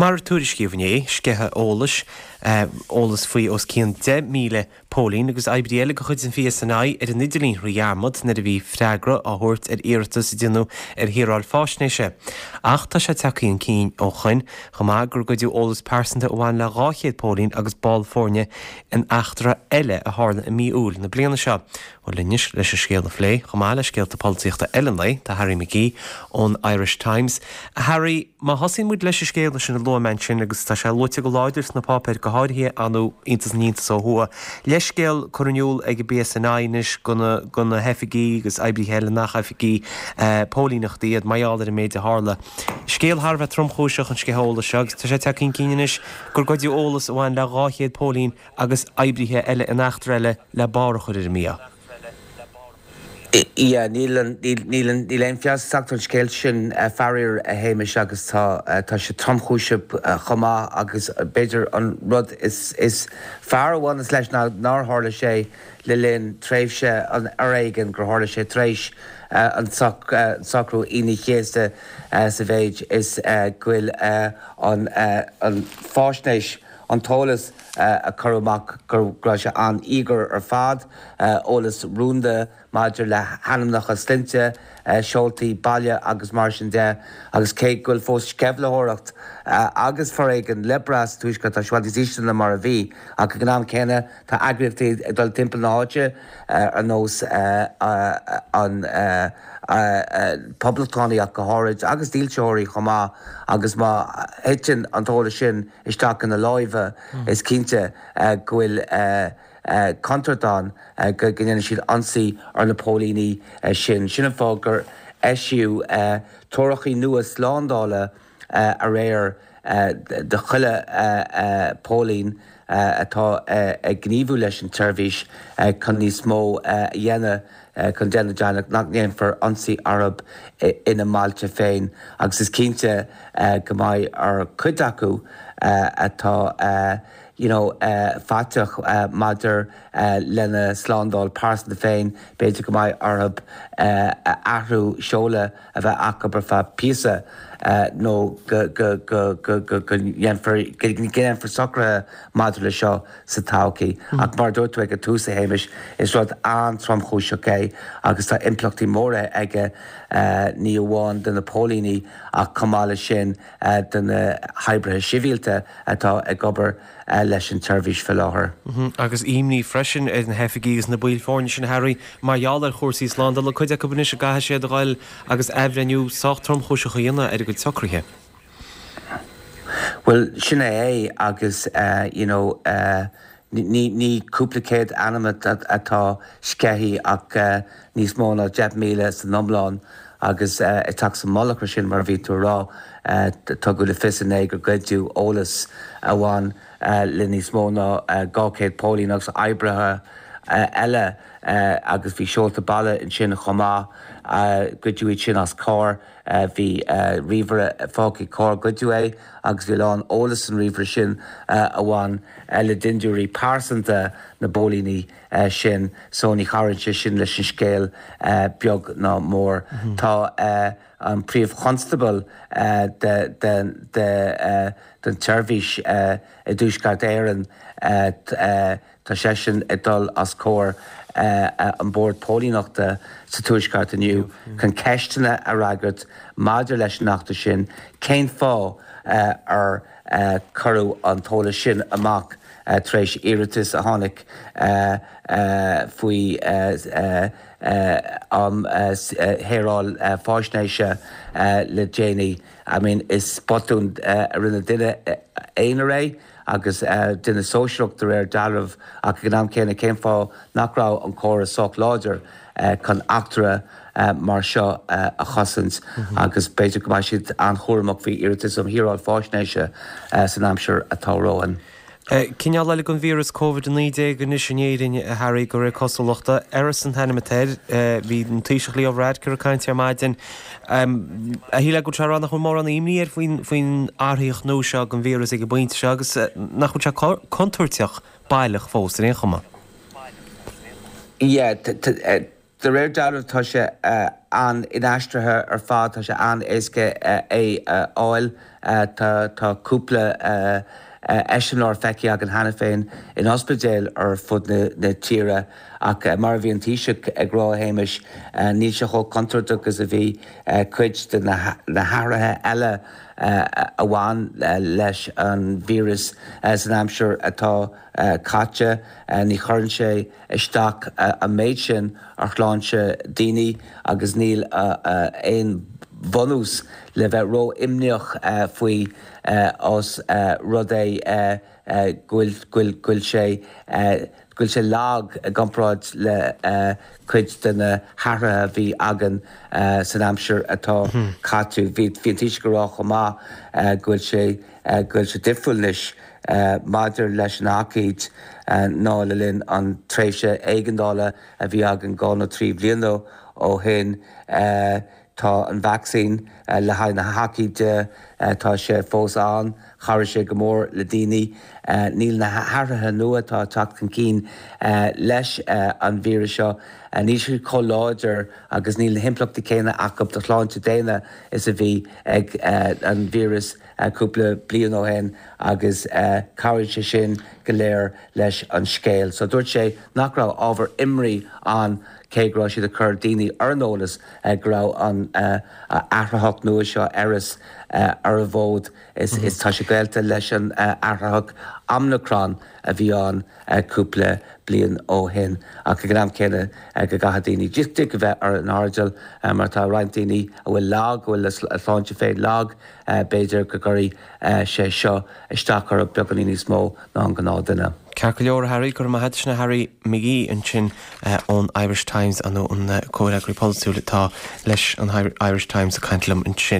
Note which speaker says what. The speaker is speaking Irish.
Speaker 1: Mar a tuairiscíodh inné, sceitheadh eolais, eolas faoi os cionn 10,000 póilín agus oibrí eile de chuid an PSNI ar an idirlíon thrí dhearmad nuair a bhí freagra á thabhairt ar iarratas a déanadh ar shaoráil faisnéise. Ach tá sé tagtha chun cinn ó shoin chomh maith gur goideadh eolas pearsanta a bhain le 200 póilín agus ball foirne in eachtra eile a tharla i mí Iúil na bliana seo. Bhuel anois leis an scéal a phlé, chomh maith le scéalta polaitíochta eile an lae, tá Harry McGee ón Irish Times. A Harry, má thosaíonn muid leis an scéal sin a luaigh mé ansin, agus tá sé luaite go láidir sna páipéir, go háirithe ar ndóigh, iontas na n-iontas ó thuaidh, leithscéal curtha in iúl ag an bPSNI anois do na hoifigigh agus oibrithe eile nach oifigigh póilíneachta iad mar gheall ar an méid a tharla. Scéal thar a bheith tromchúiseach an sceitheadh eolais seo agus tá sé tagtha chun cinn anois gur goideadh eolas a bhain le 200 póilín agus oibrithe eile in eachtra eile le barr a chur ar an mí-ádh.
Speaker 2: Yeah, níl an, níl, níl an, níl aon feabhas ag teacht ar an scéal sin, faraor, a Shéamais, agus tá, tá sé tromchúiseach chomh maith agus b'fhéidir an rud is, is fearr a bhaineas leis ná nár tharla sé le linn tréimhse an fhoréigin, gur tharla sé tar éis an socrú Aoine an Chéasta sa mhéid is go bhfuil an, an fáisnéis, an t-eolas a cuireadh amach go raibh sé an-íogair ar fad, eolas rúnda maidir le hainmneacha, sloinnte, seoltaí baile agus mar sin de. Agus cé go bhfuil fós sceimhlitheoireacht agus foréigean le brath sa Tuaisceart, tá sé i bhfad níos ísle ná mar a bhí. Ach ag an am céanna tá eagraíochtaí ag dul timpeall na háite ar nós an Poblachtánaigh ach go háirid, agus dílseoirí chomh maith, agus má thiteann an t-eolas sin isteach ina láimhe, is cinnte go bhfuil contúirt ann go ndéanfaidh siad ionsaí ar na póilíní sin. Sin an fáth gur eisíodh treoracha nua slándála aréir do chuile phóilín atá ag gníomhú leis an tseirbhís chun níos mó a dhéanamh chun déanamh deimhin nach ndéanfar ionsaí orthu ina mbailte féin agus is cinnte go mbeidh ar chuid acu atá you know faiteach maidir lena slándáil pearsanta féin, b'fhéidir go mbeidh orthu athrú seoladh a bheith acu ar feadh píosa nó go ndéanfar socruithe maidir le seo sa todhchaí. Ach mar a dúirt tú ag an tús, a Shéamais, is rud an-tromchúiseach é agus tá impleachtaí móra aige, ní amháin do na póilíní ach chomh maith leis sin do na hoibrithe sibhialta atá ag obair leis an tseirbhís faoi láthair.
Speaker 1: Agus imní freisin ar na hoifigigh agus na baill foirne sin, a Harry, mar gheall ar chúrsaí slándála, cuid acu anois a gcaithfidh siad a ghoil agus athbhreithniú sách tromchúiseach a dhéanamh ar a gcuid socruithe.
Speaker 2: Bhuel, sin é é agus you know ní ní cúpla céad ainm atá sceithe ach níos mó ná 10,000 san iomlán agus ag teacht sa mullach ar sin, mar a bhí tú a rá, tugadh le fios inné gur goideadh eolas a bhain le níos mó ná 200 póilín agus oibrithe eile agus bhí seolta baile ansin chomh maith. Goideadh iad sin as carr. Bhí ríomhaire fágtha ag carr, goideadh é agus bhí a lán eolas san ríomhaire sin a bhain le dindiúirí pearsanta na bpóilíní sin so ní chabhraíonn sé sin leis an scéal beag ná mór. Tá an Príomh-Chonstábla den tseirbhís i dTuaisceart Éireann, Tá seisean ag dul os comhair an Bord Póilíneachta sa Tuaisceart inniu chun ceisteanna a fhreagairt maidir leis an eachtra sin, cén fáth ar cuireadh an t-eolas sin amach tar éis iarratas a tháinig faoi um Shaoráil Faisnéise le déanaí. I mean, is botún a rinne duine aonair é. agus duine sóisearach de réir dealraimh, ach ag an am céanna cén fáth nach raibh an córas sách láidir chun eachtra mar seo a chosaint agus b'fhéidir go mbeidh siad an-chúramach faoi iarratais um shaoráil faisnéise san aimsir atá romhainn.
Speaker 1: Cineál eile den víreas Covid-19 anois in Éirinn, a Harry, de réir cosúlachta. Eris an t-ainm atá air. Bhí an Taoiseach Leo Varadkar ag caint ar maidin. A shílfeá go bhfuil sé ag rá nach bhfuil mórán imní air faoin athraitheach nua seo den víreas ag an bpointe seo agus nach bhfuil sé contúirteach baileach fós ar aon chuma.
Speaker 2: Yeah, de réir dealraimh tá sé. an-inaistrithe ar fad, tá sé an-éasca é a fháil. Tá cúpla eiseamláir feicthe againn cheana féin in ospidéil ar fud na tíre ach mar a bhí an Taoiseach ag rá, a Shéamais, níl sé chomh contúirteach is a bhí cuid de na hathruithe eile a bhain leis an víreas san aimsir atá caite. Ní chuireann sé isteach an méid sin ar shláinte daoine agus níl aon bhunús le bheith ró-imníoch faoi os rud é go bhfuil sé go bhfuil sé lag i gcomparáid le cuid de na hathruithe a bhí againn san aimsir atá caite. Bhí an Taoiseach ag rá chomh maith go bhfuil sé go bhfuil sé difriúil anois maidir leis an aicíd ná le linn an tréimhse éigeandála a bhí againn 2 nó 3 bhliana ó shin. Tá an vacsaín le haghaidh na haicíde, tá sé fós ann, chabhraigh sé go mór le daoine. Níl na hathruithe nua atá ag teacht chun cinn leis an víreas seo, níl siad chomh láidir agus níl na himpleachtaí céanna acu do shláinte daonna is a bhí ag an víreas cúpla bliain ó shin agus cabhraíonn sé sin go léir leis an scéal. So dúirt sé nach raibh ábhar imní ann cé go raibh siad ag cur daoine ar an eolas go raibh an athraitheach nua seo Eris ar an bhfód is tá sé gaolta leis an athraitheach Omicron a bhí ann cúpla bliain ó shin. Ach ag an am céanna go gcaithfidh daoine just a bheith ar an airdeall mar tá roinnt daoine a bhfuil lag, a bhfuil a sláinte féin lag, B'fhéidir go gcuirfidh sé seo isteach orthu beagáinín níos mó ná an gnáthduine.
Speaker 1: Ceart go leor, a Harry, go raibh maith agat. Sin é Harry McGee ansin ón Irish Times, nó an comhfhreagraí polaitiúil atá leis an Irish Times ag caint liom ansin.